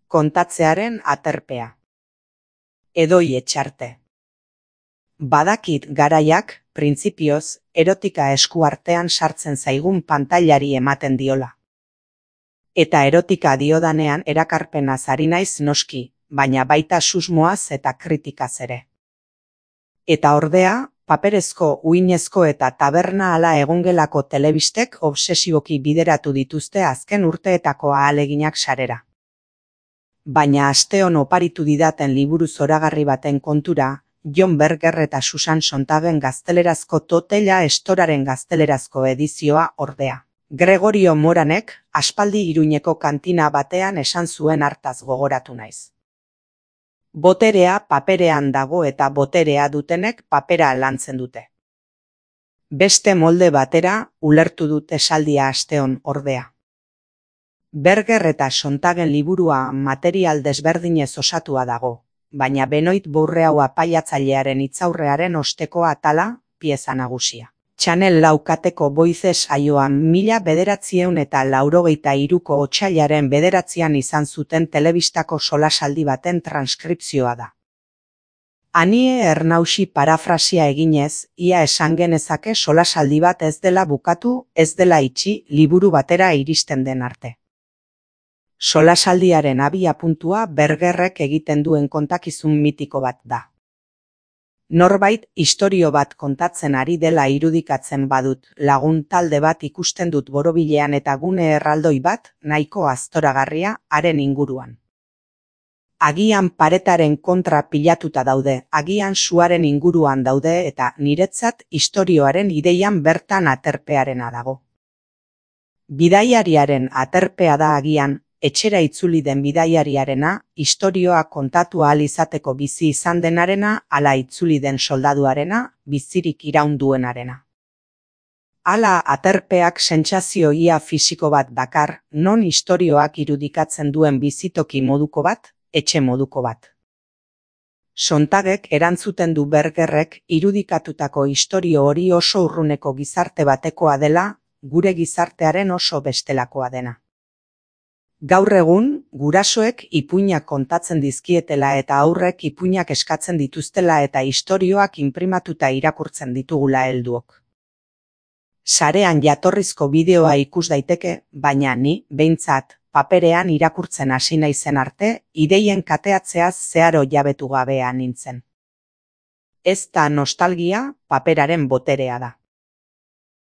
kontatzearen aterpea. Edoi Etxarte. Badakit garaiak, printzipioz, erotika eskuartean sartzen zaigun pantailari ematen diola. Eta erotika diodanean erakarpenaz ari naiz noski, baina baita susmoaz eta kritikaz ere. Eta ordea, paperezko, uinezko eta taberna ala egongelako telebistek obsesioki bideratu dituzte azken urteetako ahaleginak sarera. Baina asteon oparitu didaten liburu zoragarri baten kontura, John Berger eta Susan Sontagen gaztelerazko Totella Estoraren gaztelerazko edizioa ordea. Gregorio Moranek aspaldi Iruñeko kantina batean esan zuen hartaz gogoratu naiz. Boterea paperean dago eta boterea dutenek papera lantzen dute. Beste molde batera ulertu dut esaldia asteon ordea. Berger eta Sontagen liburua material desberdinez osatua dago, baina Benoit Bourreau apaiatzailearen hitzaurrearen osteko atala, pieza nagusia. Channel 4 kateko Voices saioan 1983ko otsailaren 9an izan zuten telebistako solasaldi baten transkripzioa da. Anie Ernauxi parafrasia eginez, ia esan genezake solasaldi bat ez dela bukatu, ez dela itxi, liburu batera iristen den arte. Solasaldiaren abiapuntua Bergerrek egiten duen kontakizun mitiko bat da. Norbait istorio bat kontatzen ari dela irudikatzen badut, lagun talde bat ikusten dut borobilean eta gune erraldoi bat, nahiko aztoragarria, haren inguruan. Agian paretaren kontra pilatuta daude, agian suaren inguruan daude eta niretzat istorioaren ideian bertan aterpearena dago. Bidaiariaren aterpea da agian, etxera itzuli den bidaiariarena, istorioa kontatu ahal izateko bizi izan denarena, ala itzuli den soldaduarena, bizirik iraun duenarena. Hala aterpeak sentsazio ia fisiko bat dakar, non istorioak irudikatzen duen bizitoki moduko bat, etxe moduko bat. Sontagek erantzuten du Bergerrek irudikatutako istorio hori oso urruneko gizarte batekoa dela, gure gizartearen oso bestelakoa dena. Gaur egun, gurasoek ipuinak kontatzen dizkietela eta aurrek ipuinak eskatzen dituztela eta istorioak inprimatuta irakurtzen ditugula helduok. Sarean jatorrizko bideoa ikus daiteke, baina ni, behintzat, paperean irakurtzen hasi naizen arte, ideien kateatzeaz zeharo jabetu gabea nintzen. Ez da nostalgia, paperaren boterea da.